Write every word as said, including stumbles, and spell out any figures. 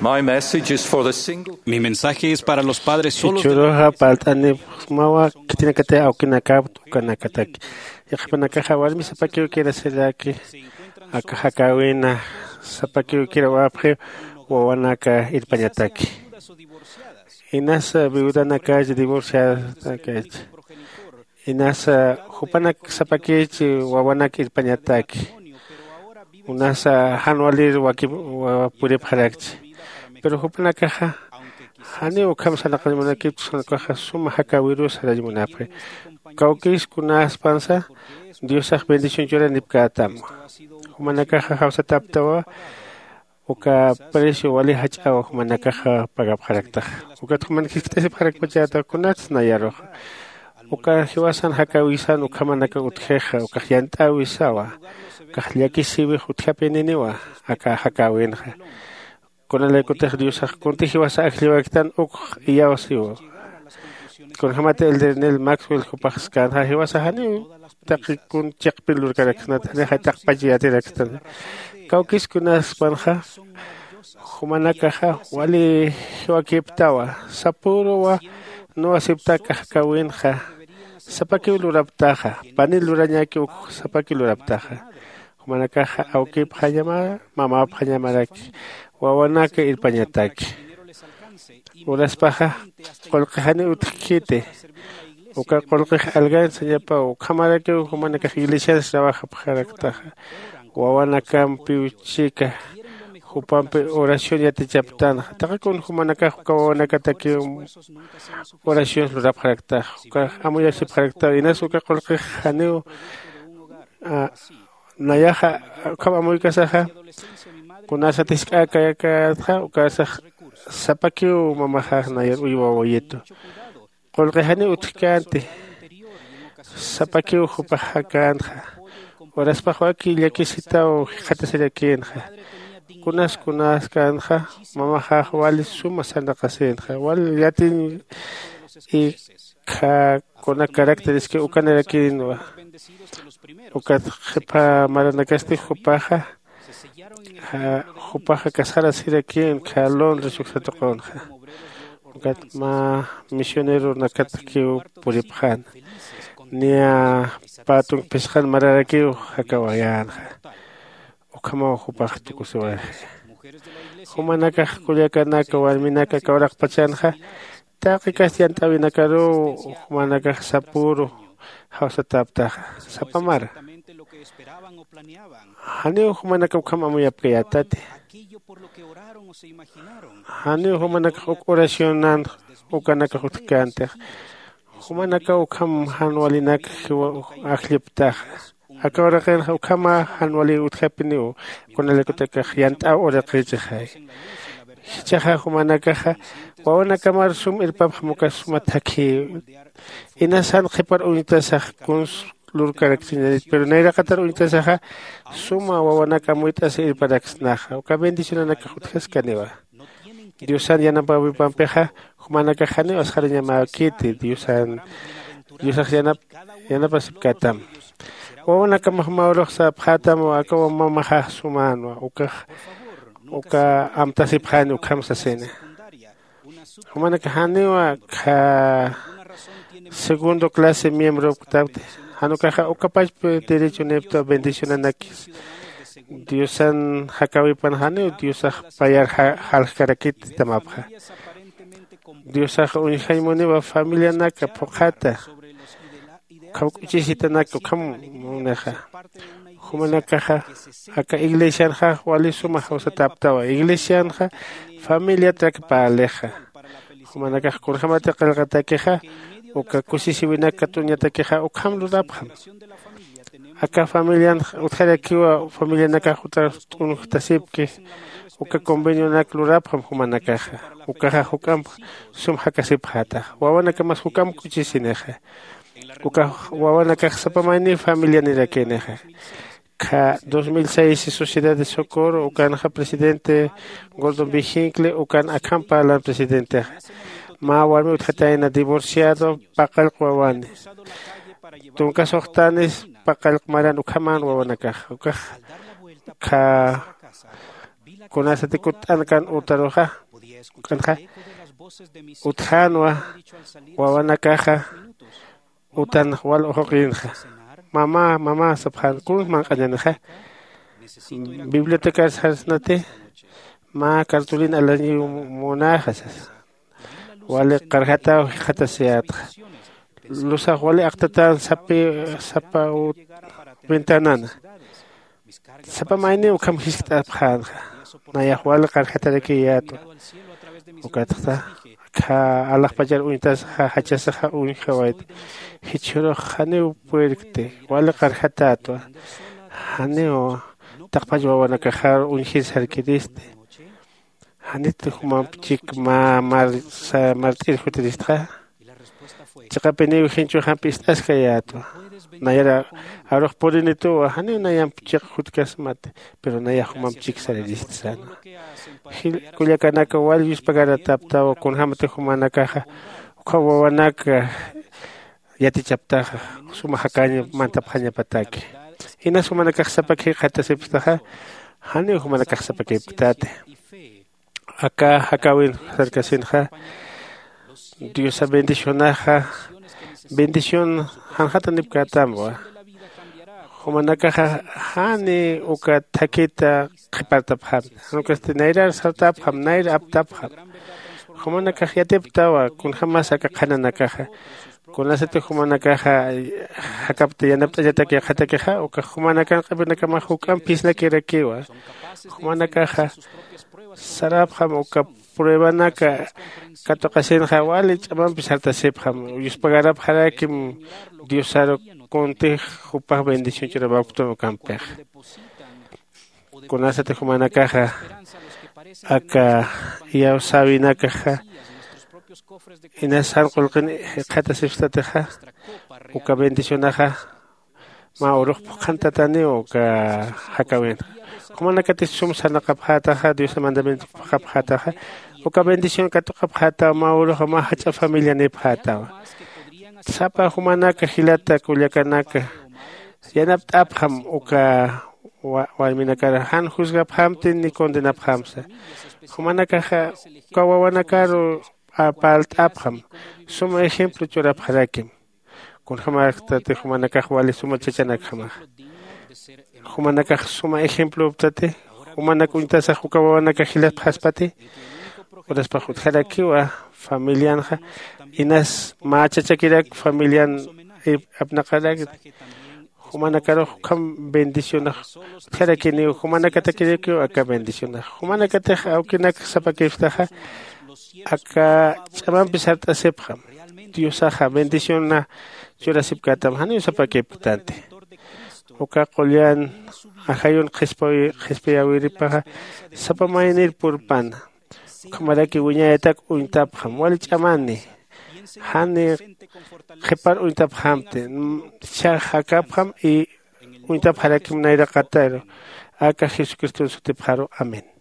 My message is for the single. Mi mensaje es para los padres solos de Jichhüruxa parlt'anipxsmawa khitinakatix awkinakap ukanakataki. Yaqhipanakaxa warmi sapakiw kirasiraki aka jakäwina sapakiw kirawapxi wawanaka irpañataki. Inasa viudanakach divorciadanakach. Inasa jupanak sapakich wawanak irpañataki. Unasa jan walir wakip puripxarakchi. Pero jupanakaxa janiw ukham sarnaqañ munakipchi, ukaxa suma jakäwirus sarañ munapxi. Kawkïs kunaspansa diosax bendición churanipkätam. Jumanakaxa jawsataptawa uka precio wali jach'aw jumanakaxa pagapxaraktaxa. Ukat juman jiskt'asipxarakpachäta kunats nayaruxa. Uka jiwasan jakäwisan ukhamanaka utjixa ukax yant'äwisawa. Ukax llakisïwix utjapininiwa aka jakäwinxa. Kunalaykutix diosax kunti jiwasa ajlliwaktan ukx iyawsiwa. Kunjämati elder nel maxwell jupax skänxa jiwasa janiw taqi kun chiqpir lurkaraksnat janixa taqpach yatirakstan. Kawkïs kunaspanxa jumanakaxa wali jiwakiptawa. Sapüruwa nuwasipta aka jakäwinxa sapakiw luraptaxa. Panir lurañäki uk sapakiw luraptaxa. Jumanakaxa awkipxañamara mamäpxañamaraki wawanaka irpañataki. Uraspaxa qullqi janiw utjkiti. Uka qullqix algañsañapaw ukhamarakiw jumanakax iglesians trabajapxaraktaxa. Wawanakampiw chika jupampi oración yatichaptanxa taqi kun jumanakax uka wawanakatakiw oraciones lurapxaraktax. Ukax amuyasipxaraktaw inas uka qullqix janiw nayaxa ukham amuykasaxa. Kunasa tisk'äkäkatxa ukasax sapakiw mamaxax nayar uywa wayitu. Qullqi janiw utjkänti. Sapakiw jupax jakänxa. Uraspax waki llakisitaw jikxatasirakïnxa. Kunas kunaskänxa mamaxax wali suma sarnaqasïnxa wal yatiñ. Ikha kuna caracteres que ukanarakïnwa. Ukat qhipa maranakasti jupaxa jupaxa casarasirakïn khalon risuksa tuqunxa. Ukat mä misioneronakatakiw puripxäna. Niya pä tunk phisqan mararakiw jakawayänxa. Ukhamaw jupax tukusiwayxi. Jumanakax kullakanaka warminaka kawraqpachanxa taqi kasti yant'äwinakaruw jumanakax sapüru jawsatäptaxa. Sapa mara janiw jumanaka ukham amuyapkayätati. Janiw jumanakax uk oracionan ukanakax utjkäntixa. Jumanakaw ukham jan walinak ajlliptaxa. Aka uraqinxa ukhama jan wali utjapiniw. Kunalaykutakax yant'äw uraqïchixay. Jichhaxa jumanakaxa wawanakamar sum irpapxam uka suma thakhi. Inasan qhipar uñtasax kuns lurkarakchiñanit pero nayraqatar uñtasaxa suma wawanak amuyt'asi irparaksnaxa uka bendicionanakax utjaskaniwa. Diosan yanapäwipampixa jumanakax janiw asxarañamäkiti diosan diosax yanapasipkätam. Wawanakamax mä urux sapxätam aka mamaxax sumänwa ukax uka amtasipxäni ukham sasini. Jumanakax janiw akha segundo clase miembropktapti. Jan ukaxa ukapachpi derechonipta bendicionanakis. Diosan jakäwipan janiw diosax payar jaljkarakit tamapxa. Diosaxa uñjañ muniwa familianaka phuqhata. Ukham k'uchisitanaka ukham munixa. Jumanakaxa aka iglesianxa wali suma jawsatäptawa iglesianxa familiatrak parlixa. Jumanakax kunjämati qillqatakixa uka kusisiwinak kat'uñatakixa ukham lurapxam. Aka familian utjarakiwa familianakax utar t'unjtasipki. Uka convenionak lurapxam jumanakaxa ukaxa juk'amp sum jakasipxätax. Wawanakamas juk'amp k'uchisinixa. Ukax wawanakax sapa mayniw familianirakinixa. Kha dos mil seis sociedad de socorro ukanxa presidente gordon viginkle ukan akham parlan presidentexa. Mä warmi utjatayna divorciado paqallq wawani. Tunka suxtanis paqallq maran ukhaman wawanakax ukax kha Kunasati kutt'ankan utaruxa, k'anxa utjanwa wawanakaxa utan wal uxuqinxa. Mama mama sapxan kun manq'añanixa bibliotecar sarsnati mä cartulina alañiw munaxa sasa. Wali qarjataw jikxatasiyätxa lusax wali aqtatan sapi sapa ventanana. Sapa mayniw ukham jiskt'apxänxa nayax wali qarjatarakiyätwa. Ukatxa kha alaxpachar uñtasaxa jachasaxa uñjawayta. Jichhürux janiw puerkti wali qarjatätwa. Janiw taqpach wawanakaxar uñjir sarkiristi. Janit jumamp chik mä mart'ir jutiristxa. Chiqapiniw jinchux jampi ist'askayätwa. Nayara arux purinituwa janiw nayamp chiq jutkasmati. Pero nayax jumamp chik sariristsan. Kullakanaka wal yuspagarataptawa kunjämati jumanakaxa ukham wawanaka yatichaptaxa suma jakañ mantapxañapataki. Inas jumanakax sapaki jikxatasipktaxa janiw jumanakax sapakipktati. Aka jakäwin sarkasinxa diosa bendicionaxa bendición janxatanipkätamwa. Jumanakaxa jani uka thakita qhipartapxamta jan ukasti nayrar sartapxam nayr aptapxam. Jumanakax yatiptawa kunjämas aka qhananakaxa kunasatix jumanakaxa jakapta yanapt'añatak yaqhatakixa ukax jumanakan q'ipinakamax juk'amp phisnakirakiwa. Jumanakaxa sarapxam uka pruebanaka katuqasinxa wali ch'amampi sartasipxam. Yuspagarapxarakim diosaru kuntix jupax bendición ch'urapapktun ukampixa. Kunasatix jumanakaxa aka iyawsäwinakaxa inas jan qullqin jikxatasipstatixa uka bendicionaxa mä urux phuqhantataniw uka jakäwinxa. Jumanakatix sum sarnaqapxätaxa diosa mandamiento phuqhapxätaxa uka bendición katuqapxätaw mä uruxa mä jach'a familianipxätawa. Sapa jumanaka jilata kullakanaka yanapt'apxam uka warminakar jan juzgapxamti ni condenapxamsa. Jumanakaxa uka wawanakaru parlt'apxam suma ejemplo churapxarakim. Kunjämästati jumanakax wali suma chachanakjamaxa jumanakax suma ejemploptati. Jumanak uñtasax uka wawanakax jilapxaspati uraspax utjarakiwa familianxa inas mä chachakirak familian apnaqarakti. Jumanakarux ukham bendicionax utjarakiniw jumanakatakirakiw aka bendicionax jumanakatix awkinak sapakipktaxa aka ch'amampi sart'asipxam. Diosaxa bendiciona churasipkätam janiw sapakipktanti. Uka qullan ajayun qhispiyäwiripaxa sapa maynir purpana ukhamaraki wiñayatak uñtapxam wali ch'amani. Jani qhipar uñtapxamti. Jichhax jakapxam y uñtapxarakim nayraqataru aka jesucriston sutipxaru. Amén.